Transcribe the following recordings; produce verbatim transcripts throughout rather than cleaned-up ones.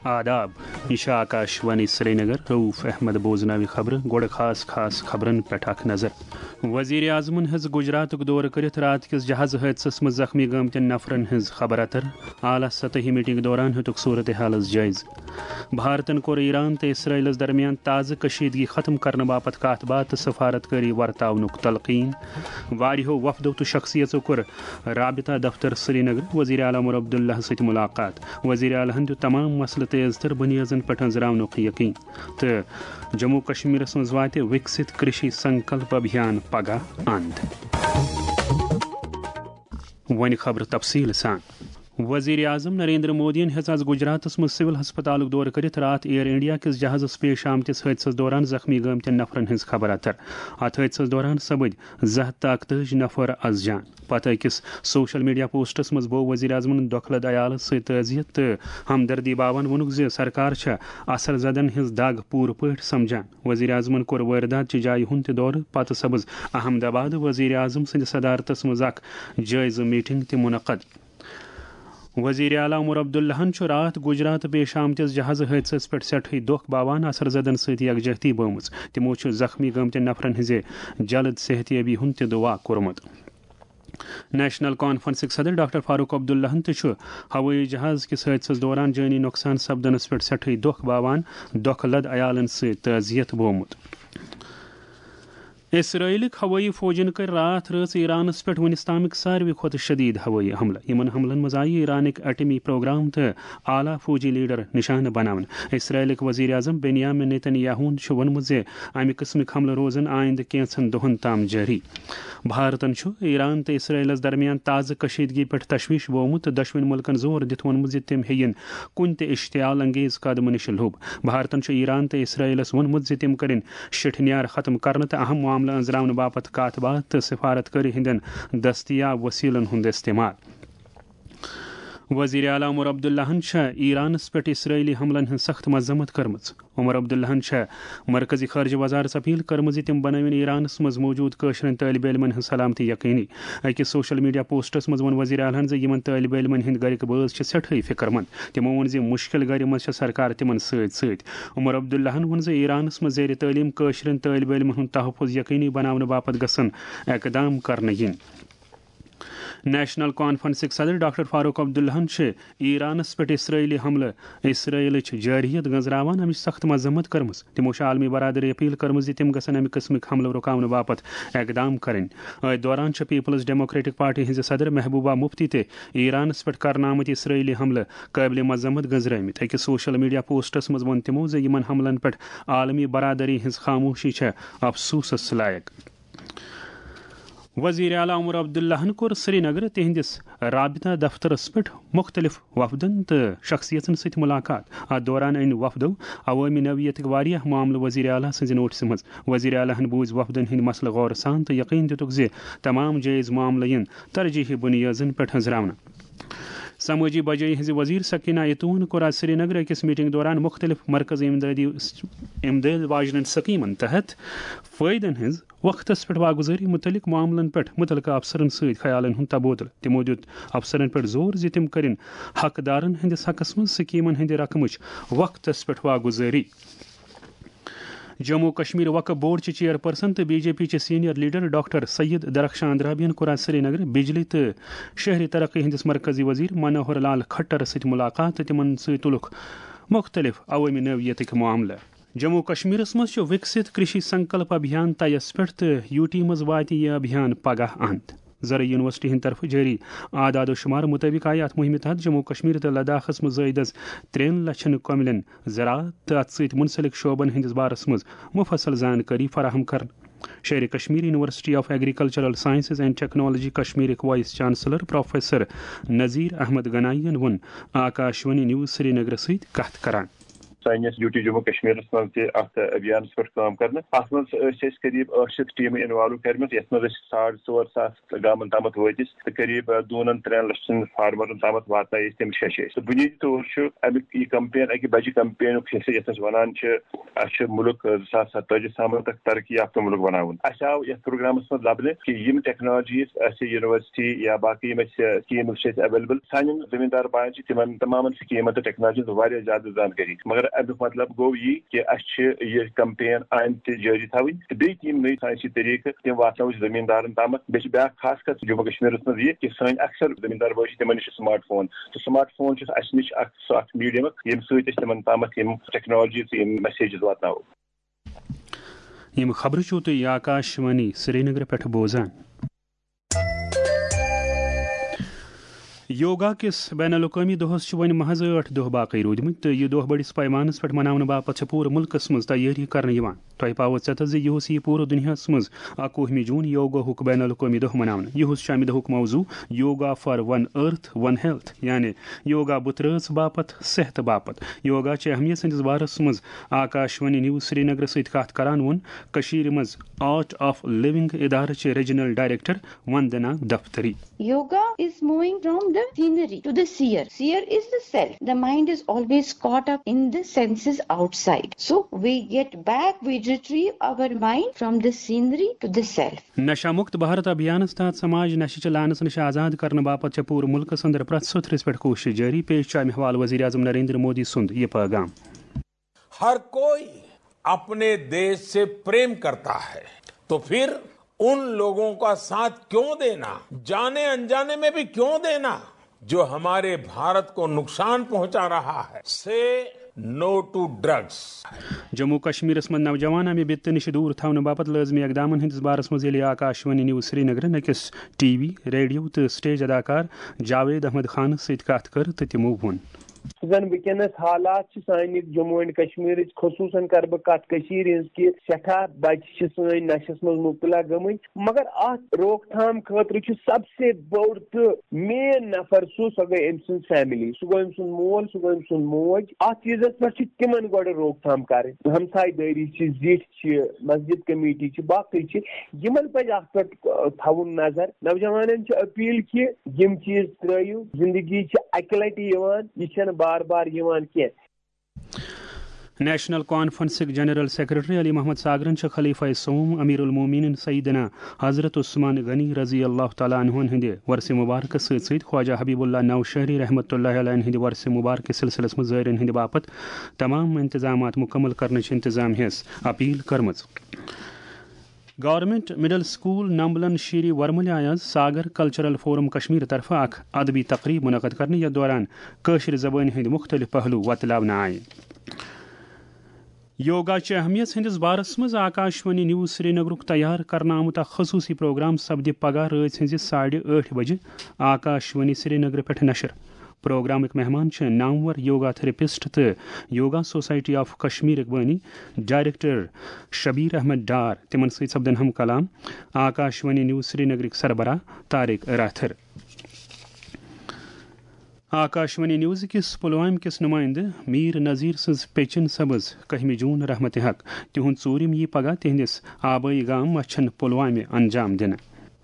آداب، یہِ چھِ آکاش وانی سرینگر۔ رؤف احمد بوزناوِ خبرٕ۔ گۄڈٕ خاص خاص خبرن پٮ۪ٹھ اکھ نظر۔ وزیر اعظمن ہیٚژ گجراتُک دورٕ کٔرِتھ راتھ کِس جہاز حٲدثس منٛز زخمی گٲمتٮ۪ن نفرن ہٕنٛز خبر اتر۔ اعلیٰ سطحی میٹنگ دوران ہیوٚتُکھ صورتحالس جٲیزٕ۔ بھارتن کوٚر ایران تہٕ اسرائیلس درمیان تازٕ کشیدگی ختم کرنہٕ باپتھ کتھ باتھ تہٕ سفارتکٲری ورتاونُک تلقین۔ واریاہو وفدو تہٕ شخصیژو کوٚر رابطہ دفتر سرینگر وزیر اعلیٰ عمر عبداللہ سۭتۍ ملاقات۔ وزیر اعلیٰ ہن دیُت تمام مسلہٕ تیز تر بنیادن پٮ۪ٹھ أنٛزراونُک یقین۔ تہٕ جموں کشمیرس منٛز واتہِ وِکسِت کرشی سنکلپ ابھیان پگاہ اند۔ وۄنۍ خبرٕ تفصیٖل سان۔ وزیر اعظم نریندر مودیَن ہیٚژ آز گجراتس منٛز سول ہسپتالُک دورٕ کٔرِتھ راتھ ایئر انڈیا کِس جہازس پیش آمتِس حٲدثس دوران زخمی گٲمتٮ۪ن نفرن ہٕنٛز خبر اتر۔ اتھ حٲدثس دوران سپٕدۍ زٕ ہتھ تہٕ اکتٲجی نفر از جان۔ پتہٕ أکِس سوشل میڈیا پوسٹس منٛز بوو وزیر اعظمن دۄکھٕ لد عیالس سۭتۍ تعزیت تہٕ ہمدردی باوان ووٚنُکھ زِ سرکار چھےٚ اثر زدن ہٕنٛز دگ پوٗرٕ پٲٹھۍ سمجھان۔ وزیر اعظمن کوٚر وٲردات چہِ جایہِ ہُنٛد تہِ دورٕ۔ پتہٕ سپٕز احمد آباد وزیر اعظم سٕنٛدِ صدارتس منٛز اکھ جٲیزٕ میٹنگ تہِ منعقد۔ وزیر اعلیٰ عمر عبداللہن چھُ راتھ گجرات پیش آمتِس جہازٕ حٲدثس پٮ۪ٹھ سٮ۪ٹھٕے دۄکھ باوان اثر زدن سۭتۍ یکجہتی بٲومٕژ۔ تِمو چھُ زخمی گٲمتٮ۪ن نفرن ہٕنٛزِ جلد صحتیابی ہُنٛد تہِ دعا کوٚرمُت۔ نیشنل کانفرنسٕکۍ صدر ڈاکٹر فاروق عبداللہن تہِ چھُ ہوٲیی جہاز کِس حٲدثس دوران جٲنی نۄقصان سپدنس پٮ۪ٹھ سٮ۪ٹھٕے دۄکھ باوان دۄکھٕ لد عیالن سۭتۍ تعزیت بوومُت۔ اسرائیلٕکۍ ہوٲیی فوجن کٔرۍ راتھ رٲژ ایرانس پٮ۪ٹھ وُنِس تامٕکۍ ساروی کھۄتہٕ شدید ہوٲیی حملہٕ۔ یِمن حملن منٛز آیہِ ایرانٕکۍ ایٹمی پروگرام تہٕ اعلیٰ فوجی لیڈر نشانہٕ بناونہٕ۔ اسرائیلٕکۍ وزیر اعظم بنیامین نیتن یاہوٗہن چھُ ووٚنمُت زِ امہِ قٕسمٕکۍ حملہٕ روزن آیندٕ کینٛژن دۄہن تام جٲری۔ بھارتن چھُ ایران تہٕ اسرائیلس درمیان تازٕ کشیدگی پٮ۪ٹھ تشویش بوومُت تہٕ دۄشوٕنۍ مُلکن زور دِتھ ووٚنمُت زِ تِم ہیٚیِن کُنہِ تہِ اشتعال انگیز قدمہٕ نِش لوٚب۔ بھارتن چھُ ایران تہٕ اسرائیلس ووٚنمُت زِ تِم کٔرِن شِٹھنیار ختم کرنہٕ تہٕ اہم معاملہٕ أنٛزراونہٕ باپتھ کتھ باتھ تہٕ سفارتکٲری ہٕنٛدٮ۪ن دستیاب وسیلن ہُنٛد استعمال۔ وزیر اعلیٰ عمر عبداللہن چھےٚ ایرانس پٮ۪ٹھ اسرائیلی حملن ہٕنٛز سخت مذمت کٔرمٕژ۔ عمر عبداللہن چھےٚ مرکزی خارجہ وزارتس اپیل کٔرمٕژ زِ تِم بنٲوِن ایرانس منٛز موجود کٲشرٮ۪ن طٲلب علمن ہٕنٛز سلامتی یقینی۔ أکِس سوشل میڈیا پوسٹس منٛز ووٚن وزیر اعلیٰ ہن زِ یِمن طٲلب علمن ہٕنٛدۍ گرِکۍ بٲژ چھِ سٮ۪ٹھٕے فکر مند۔ تِمو ووٚن زِ مُشکِل گرِ منٛز چھےٚ سرکار تِمن سۭتۍ سۭتۍ۔ عمر عبداللہن ووٚن زِ ایرانس منٛز زیر تعلیٖم کٲشرٮ۪ن طٲلب علمن ہُنٛد تحفظ یقینی بناونہٕ باپتھ گژھن اقدام کرنہٕ یِنۍ۔ نیشنل کانفرنسٕکۍ صدر ڈاکٹر فاروق عبداللہن چھِ ایرانس پٮ۪ٹھ اسرائیلی حملہٕ اسرائیلٕچ جارحیت گنزراوان امِچ سخت مذمت کٔرمٕژ۔ تِمو چھِ عالمی برادری اپیل کٔرمٕژ زِ تِم گژھن امہِ قٕسمٕکۍ حملہٕ رُکاونہٕ باپتھ اقدام کرٕنۍ۔ أتھۍ دوران چھِ پیپلز ڈیموکریٹک پارٹی ہٕنٛزِ صدر محبوبہ مفتی تہِ ایرانس پٮ۪ٹھ کرنہٕ آمٕتۍ اسرائیلی حملہٕ قٲبلِ مذمت گنزرٲومٕتۍ۔ أکِس سوشل میڈیا پوسٹس منٛز ووٚن تِمو زِ یِمن حملن پٮ۪ٹھ عالمی برادری ہٕنٛز خاموشی چھےٚ افسوسس لایق۔ وزیر اعلیٰ عمر عبداللہن کوٚر سرینگرٕ تِہنٛدِس رابطہ دفترس پٮ۪ٹھ مُختٔلِف وفدن تہٕ شخصیژن سۭتۍ مُلاقات۔ اتھ دوران أنۍ وفدو عوٲمی نوعیتٕکۍ واریاہ معاملہٕ وزیر اعلیٰ سٕنٛزِ نوٹسہِ منٛز۔ وزیر اعلیٰ ہن بوٗزۍ وفدن ہٕنٛدۍ مسلہٕ غور سان تہٕ یقین دِتُکھ زِ تمام جٲیز معاملہٕ یِن ترجیحی بُنیٲدن پٮ۪ٹھ أنٛزراونہٕ۔ سمٲجی بجٲیی ہٕنٛزِ وزیر سکینہ ایتون کوٚر آز سرینگر أکِس میٹنگ دوران مُختٔلِف مرکزی امدادی، امداد واجنٮ۪ن سکیمن تحت فٲیدن ہٕنٛز وقتس پٮ۪ٹھ واگُزٲری مُتعلق معاملن پٮ۪ٹھ مُتعلقہٕ افسرن سۭتۍ خیالن ہُنٛد تبادلہٕ۔ تِمو دِیُت افسرن پٮ۪ٹھ زور زِ تِم کٔرِن حقدارن ہٕنٛدِس حقس منٛز سکیمن ہٕنٛدِ رقمٕچ وقتس پٮ۪ٹھ واگُزٲری۔ جموں کشمیر وقف بورڈ چہِ چیئرپرسن تہٕ بی جے پی چہِ senior leader doctor Syed Darakhshan اندرابین کوٚر آز سرینگر بجلی تہٕ شہری ترقی ہٕنٛدِس مرکزی وزیر منوہر لال کھٹرس سۭتۍ مُلاقات تہٕ تِمن سۭتۍ تُلُکھ مُختٔلِف عوٲمی نوعیتٕکۍ معاملہٕ۔ جموں کشمیرس منٛز چھُ وِکسِت کرشی سنکلپ ابھیان طیَس پٮ۪ٹھ تہٕ یوٗ ٹی منٛز واتہِ یہِ ابھیان پگاہ اند۔ زرعی یونیورسٹی ہٕنٛدِ طرفہٕ جٲری اعداد و شمار مُطٲبِق آیہِ اَتھ مُہِمہِ تحت جموں کشمیر تہٕ لداخس منٛز زٲیدٕ از ترٛٮ۪ن لچھن کۄمِلٮ۪ن زراعت تہٕ اَتھ سۭتۍ مُنسلک شعبن ہٕنٛدِس بارس منٛز مُفصل زانکٲری فراہم کرنہٕ۔ Sher-e Kashmir university of agricultural sciences and technology کشمیرٕکۍ vice chancellor professor Nazir Ahmad Ganai یَن ووٚن آکاشوانی نیوز سرینگرَس سۭتۍ کتھ کران۔ سٲنِس یوٗ ٹی جموں کشمیرس منٛز تہِ اتھ ابھیانس پٮ۪ٹھ کٲم کرنہٕ۔ اتھ منٛز ٲسۍ أسۍ قریب ٲٹھ شیٚتھ ٹیمہٕ انوالو کرِمژٕ، یتھ منٛز أسۍ ساڑ ژور ساس گامن تامتھ وٲتۍ أسۍ تہٕ قریب، آ، دوٗنن ترٛٮ۪ن لچھن فارمرن تامتھ واتنٲے أسۍ تِم شیٚشہِ۔ تہٕ بُنیٲدی طور چھُ امیُک یہِ کمپین اکہِ بجہِ کمپینُک حصہٕ، یتھ أسۍ ونان چھِ، اسہِ چھُ مُلک، آ، زٕ ساس ستٲجی تامتھ اکھ ترقی یافتہٕ مُلک بناوُن۔ اسہِ آو یتھ پروگرامس منٛز لبنہٕ کہِ یِم ٹیکنالوجیز اسہِ یونیورسٹی یا باقٕے یِم اسہِ سکیٖمز چھِ اسہِ اویلیبل، سانٮ۪ن زٔمیٖندار بایَن چھِ تِمن تمامن سکیٖمن تہٕ ٹیکنالوجین واریاہ زیادٕ زانکٲری۔ مگر امیُک مطلب گوٚو یی کہِ اسہِ چھِ یہِ کمپین آیندٕ تہِ جٲری تھاوٕنۍ تہٕ بیٚیہِ تہِ یِم نٔے ساینسی طریٖقہٕ تِم واتناوو أسۍ زٔمیٖندارن تامتھ۔ بیٚیہِ چھِ بیٛاکھ خاص کتھ جموں کشمیرس منٛز یہِ کہِ سٲنۍ اکثر زٔمیٖندار بٲے چھِ، تِمن نِش چھُ سمارٹ فون، تہٕ سمارٹ فون چھُ اسہِ نِش اکھ، سُہ اکھ میٖڈیم، ییٚمہِ سۭتۍ أسۍ تِمن تامتھ یِم ٹیکنالوجیز تہٕ یِم میسیجز واتناوو۔ یِم خبرٕ چھِو تُہۍ آکاشوانی سرینگرٕ پٮ۪ٹھ بوزان۔ یوگا کِس بین الاقوٲمی دۄہَس چھِ وۄنۍ محض ٲٹھ دۄہ باقٕے روٗدمٕتۍ تہٕ یہِ دۄہ بٔڑِس پیمانَس پٮ۪ٹھ مناونہٕ باپتھ چھِ پوٗرٕ مُلکَس منٛز تیٲری کرنہٕ یِوان۔ تۄہہِ پاوو ژٮ۪تَس زِ یِہُس یِیہِ پوٗرٕ دُنیاہَس منٛز اَکوُہمہِ جوٗن یوگاہُک بین الاقوٲمی دۄہ مناونہٕ۔ یِہُس چھُ اَمہِ دۄہُک موضوع yoga for one earth one health, یعنی یوگا بُترٲژ باپتھ، صحت باپتھ۔ یوگا چہِ اہمیت سٕنٛدِس بارَس منٛز آکاشوانی نیوز سرینگرٕ سۭتۍ کَتھ کران ووٚن کٔشیٖرِ منٛز آرٹ آف لِونگ ادارٕ چہِ ریجنل ڈائریکٹر وندنا دفتری۔ Yoga is moving from the scenery to the seer. Seer is the self. The mind is always caught up in the senses outside. So we get back, we retrieve our mind from the scenery to the self. نشہ مکت بھارت ابھیانس تحت سماج نشہ چہ لعنس نش آزاد کرنہٕ باپتھ چھےٚ پوٗرٕ ملکس اندر پرٛٮ۪تھ سوٚتھرِس پٮ۪ٹھ کوٗشش جٲری۔ پیش چھُ امہِ حوالہٕ وزیر اعظم نریندر مودی سُنٛد یہِ پیغام۔ ہر کوئی اپنے دیش سے پریم کرتا ہے، تو پھر ان لوگوں کا ساتھ کیوں دینا، جانے انجانے میں بھی کیوں دینا، جو ہمارے بھارت کو نقصان پہنچا رہا ہے۔ سے نو ٹو ڈرگس۔ جموں کشمیرس منٛز نوجوان امہِ بِتہٕ نِش دوٗر تھاونہٕ باپتھ لٲزمی اقدامن ہٕنٛدِس بارس منٛز ییٚلہِ آکاشوانی نیوز سرینگرٕ نٔکِس ٹی وی، ریڈیو تہٕ سٹیج اداکار جاوید احمد خانس سۭتۍ کتھ کٔر تہٕ تِمو ووٚن۔ زن وٕنکیٚنس حالات چھِ سانہِ جموں اینڈ کشمیرٕچ، خصوٗصن کرٕ بہٕ کتھ کٔشیٖرِ ہٕنٛز، کہِ سٮ۪ٹھاہ بچہِ چھِ سٲنۍ نشس منٛز مبتلا گٔمٕتۍ، مگر اتھ روک تھام خٲطرٕ چھُ سب سے بوٚڑ تہٕ مین نفر سُہ، سۄ گٔے أمۍ سٕنٛز فیملی، سُہ گوٚو أمۍ سُنٛد مول، سُہ گوٚو أمۍ سُنٛد موج۔ اتھ چیٖزس پٮ۪ٹھ چھِ تِمن گۄڈٕ روک تھام کرٕنۍ۔ ہمسایہِ دٲری چھِ، زِٹھۍ چھِ، مسجد کمیٹی چھِ، باقٕے چھِ، یِمن پزِ اتھ پٮ۪ٹھ، آ، تھاوُن نظر۔ نوجوانن چھِ اپیل کہِ یِم چیٖز ترٲیِو، زندگی چھِ اکہِ لٹہِ یِوان، یہِ چھنہٕ بار بار یِوان کینٛہہ۔ نیشنل کانفرنسٕکۍ جنرل سیکرٹری علی محمد ساگرن چھِ خلیفہ سوم امیر المومنین سیدنا حضرت عثمان غنی رضی اللہ تعالیٰ عنہن ہٕنٛدِ ورثہ مبارکس سۭتۍ سۭتۍ خواجہ حبیب اللہ نوشہری رحمۃ اللہ علیہ ہٕنٛدِ ورثہ مبارکس سلسلس منٛز زٲیرن ہٕنٛدِ باپتھ تمام انتظامات مکمل کرنٕچ انتظامیہس اپیل کٔرمٕژ۔ گورنمنٹ مڈل سکول نمبلن شیری ورمُلہِ آیہِ آز ساگر کلچرل فورم کشمیر طرفہٕ اکھ ادبی تقریب منعقد کرنہٕ، یتھ دوران کٲشرِ زبٲنۍ ہٕنٛدۍ مختلف پہلو وۄتلاونہٕ آیہِ۔ یوگا چہِ اہمیت ہٕنٛدِس بارس منٛز آکاشوانی نیوز سرینگرُک تیار کرنہٕ آمُت اکھ خصوٗصی پروگرام سپدِ پگاہ رٲژ ہٕنٛزِ ساڑِ ٲٹھِ بجہِ آکاشوانی سرینگرٕ پٮ۪ٹھ نشر۔ پروگرامٕکۍ مہمان چھِ نامور یوگا تھراپسٹ تہٕ یوگا سوسائٹی آف کشمیرٕکۍ بٲنی ڈائریکٹر شبیر احمد ڈار۔ تِمن سۭتۍ سپدن ہم کلام آکاشوانی نیوز سرینگرٕکۍ سربراہ طارق راتھر۔ آکاشوانی نیوز کِس پلوامہِ کِس نمائندٕ میر نذیر سٕنٛز پیچن سبز کٔہمہِ جون رحمت حق۔ تِہُنٛد ژوٗرِم یی پگاہ تِہنٛدِس آبٲیی گام مچھن پلوامہِ انجام دِنہٕ۔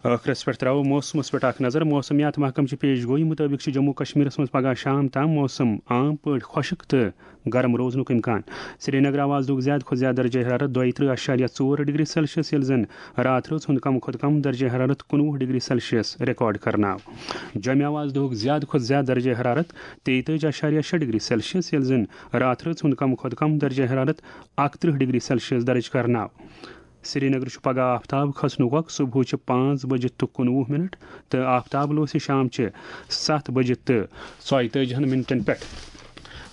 ٲخرس پٮ۪ٹھ ترٛاوو موسمس پٮ۪ٹھ اکھ نظر۔ موسمیات محکمہٕ چہِ پیش گویی مُطٲبِق چھُ جموں کشمیرس منٛز پگاہ شام تام موسم عام پٲٹھۍ خۄشک تہٕ گرم روزنُک امکان۔ سرینگر آو آز دۄہُک زیادٕ کھۄتہٕ زیادٕ درجہ حرارت دۄیہِ ترٕٛہ اعشاریہ ژور ڈگری سیلسیس، ییٚلہِ زن راتھ رٲژ ہُنٛد کم کھۄتہٕ کم درجہ حرارت کُنوُہ ڈگری سیلسیس ریکارڈ کرنہٕ آو۔ جوٚمہِ آو آز دۄہُک زیادٕ کھۄتہٕ زیادٕ درجہ حرارت تیٚیہِ تٲجی اعشاریہ شےٚ ڈگری سیلسیس، ییٚلہِ زن راتھ رٲژ ہُنٛد کم کھۄتہٕ کم درجہ حرارت اکترٕہ ڈگری سیلسیس درج کرنہٕ آو۔ سرینگر چھُ پگاہ آفتاب کھسنُک وق صبحٕچہِ پانٛژھ بجہِ تہٕ کُنوُہ منٹ تہٕ آفتاب لوسہِ شامچہِ ستھ بجہِ تہٕ ژۄیہِ تٲجی ہن منٹن پٮ۪ٹھ۔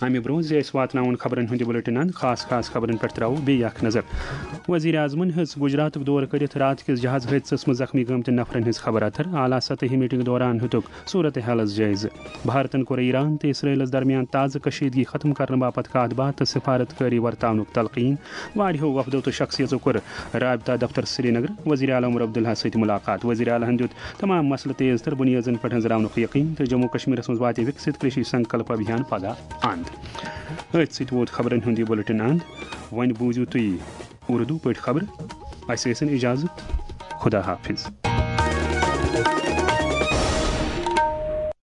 امہِ برونٛہہ زِ أسۍ واتناوون خبرن ہُنٛد یہِ بُلٹن اند، خاص خاص خبرن پٮ۪ٹھ ترٛاوو بیٚیہِ اکھ نظر۔ وزیر اعظمن ہیٚژ گجراتُک دورٕ کٔرِتھ راتھ کِس جہاز حٲدثس منٛز زخمی گٲمتٮ۪ن نفرن ہٕنٛز خبر اتر۔ اعلیٰ سطحی میٹنگ دوران ہیوٚتُکھ صورت حالس جٲیزٕ۔ بھارتن کوٚر ایران تہٕ اسرائیلس درمیان تازٕ کشیدگی ختم کرنہٕ باپتھ کتھ باتھ تہٕ سفارتکٲری ورتاونُک تلقین۔ واریاہو وفدو تہٕ شخصیژو کوٚر رابطہ دفتر سرینگر وزیر اعلیٰ عمر عبداللہ سۭتۍ ملاقات۔ وزیر اعلیٰ ہن دیُت تمام مسلہٕ تیز تر بنیادن پٮ۪ٹھ أنٛزراونُک یقین تہٕ جموں کشمیرس منٛز واتہِ وکست کرشی سنکلپ ابھیان پگاہ اند۔ أتھۍ سۭتۍ ووت خبرن ہُنٛد یہِ بُلٹن اند۔ وۄنۍ بوٗزِو تُہۍ اردو پٲٹھۍ خبرٕ۔ اسہِ ٲسِن اجازت۔ خدا حافظ۔